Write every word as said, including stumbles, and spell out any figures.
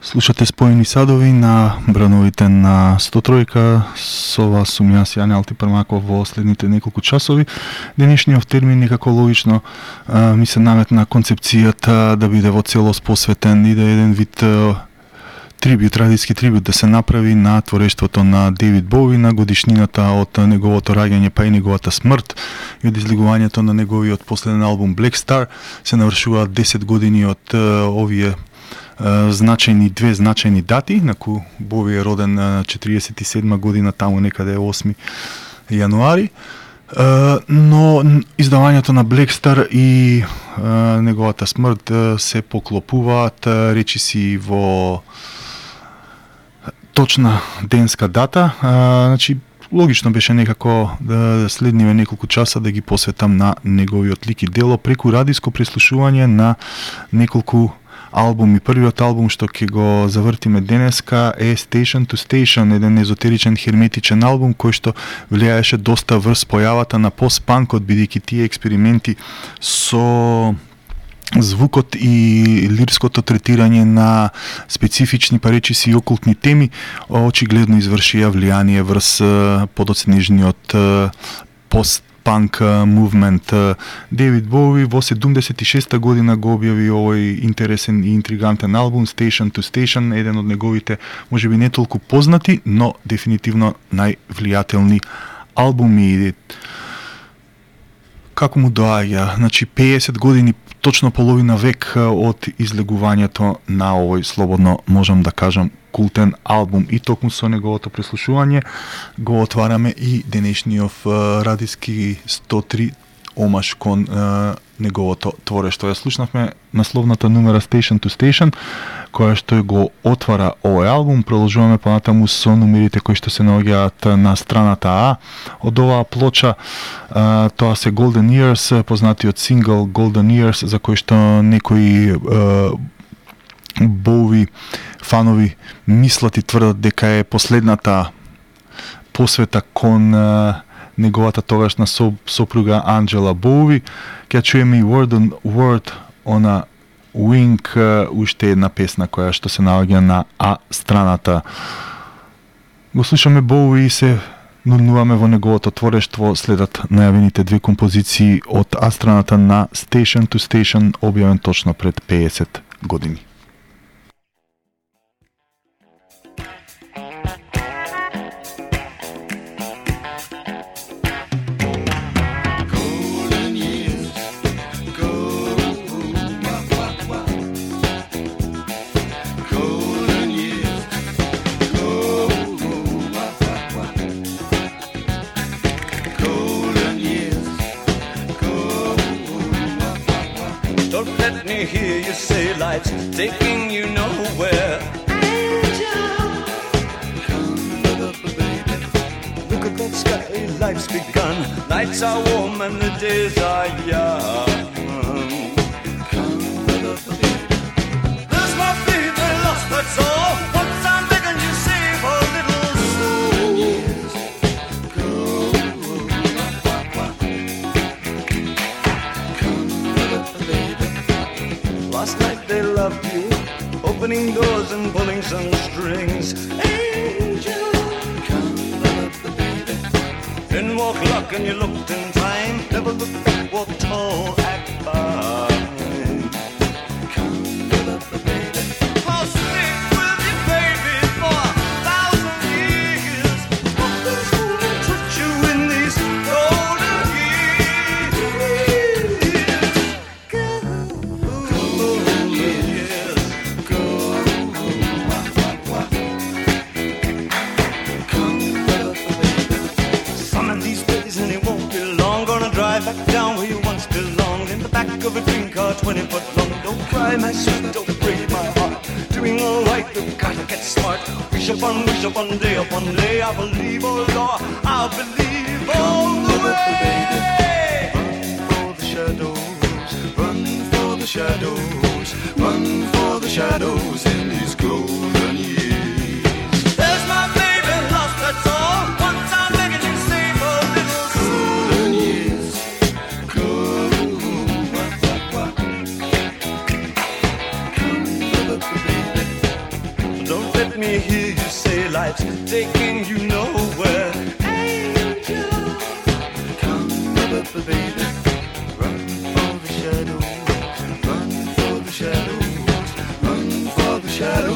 Слушате Споени садови на брановите на сто тројка. Со вас сум јас, Јане Алтипармаков, во следните неколку часови. Денешниот термин некако логично а, ми се наметна концепцијата да биде во целост посветен и да е еден вид а, трибют, радиски трибют да се направи на творештвото на Дейвид Боуи, на годишнината од неговото раѓање па и неговата смрт и од излегувањето на неговиот последен албум Black Star. Се навршуваат десет години од а, овие значајни две значајни дати, на кој Боуи е роден на четириесет и седма година, таму некаде осми јануари. Но издавањето на Black Star и неговата смрт се поклопуваат речиси во точна денска дата. Значи логично беше некако да следниве неколку часа да ги посветам на неговиот лик и дело преку радиско преслушување на неколку албум. И првиот албум што ќе го завртиме денеска е Station to Station, еден езотеричен херметичен албум кој што влијаеше доста врз појавата на пост-панкот, бидејќи тие експерименти со звукот и лирското третирање на специфични паречиси и окултни теми очигледно извршија влијание врз подоцнежниот пост панк мувмент. Дейвид Боуи во седумдесет и шеста година го објави овој интересен и интригантен албум Station to Station, еден од неговите можеби не толку познати, но дефинитивно највлијателни албуми. Како му доаѓа? Значи пеесет години, точно половина век од излегувањето на овој, слободно можам да кажам, култен албум, и токму со неговото преслушување го отвараме и денешниот радиски сто три омаш кон е, неговото творештво. Ја слушнавме насловната нумера Station to Station, која што го отвара овој албум. Продолжуваме понатаму со нумерите кои што се наоѓаат на страната А од оваа плоча. Е, тоа се Golden Years, познатиот сингл Golden Years, за кој што некои е, Боуи фанови мислат и тврдат дека е последната посвета кон е, неговата тогашна сопруга Анджела Боуи. Ќе чуеме и Word on Word on a Wing, уште една песна која што се наоѓа на А страната. Го слушаме Боуи и се нурнуваме во неговото творештво. Следат најавените две композиции од А страната на Station to Station, објавен точно пред пеесет години. Hear you say life's taking you nowhere. Angel, come up, baby. Look at that sky, life's begun. Nights are warm and the days are young. Come up, baby. There's my baby lost, that's all. Once I'm begging you save a little soul. Years go come up, baby. Last night they loved you, opening doors and pulling some strings. Angel, come up, baby. Then walk luck and you looked in time. Never look back, walk tall, act fine. Come up, baby. I'll stick with you, baby, for a thousand years. Walk this school and touch you in these golden years. Go. Back down where you once belonged, in the back of a dream car, twenty foot long. Don't cry, my sweet, don't break my heart. Doing all right, we've got to get smart. Wish upon, wish upon, day upon day. I believe, oh Lord, I believe all the way. Run for the shadows, run for the shadows, run for the shadows in these golden years. There's my baby lost, that's all. Once I'm begging you, save a little golden years. Come, baby. me hear you say life's taking you nowhere. Angel, come over, baby. Run for the shadows, run for the shadows, run for the shadows.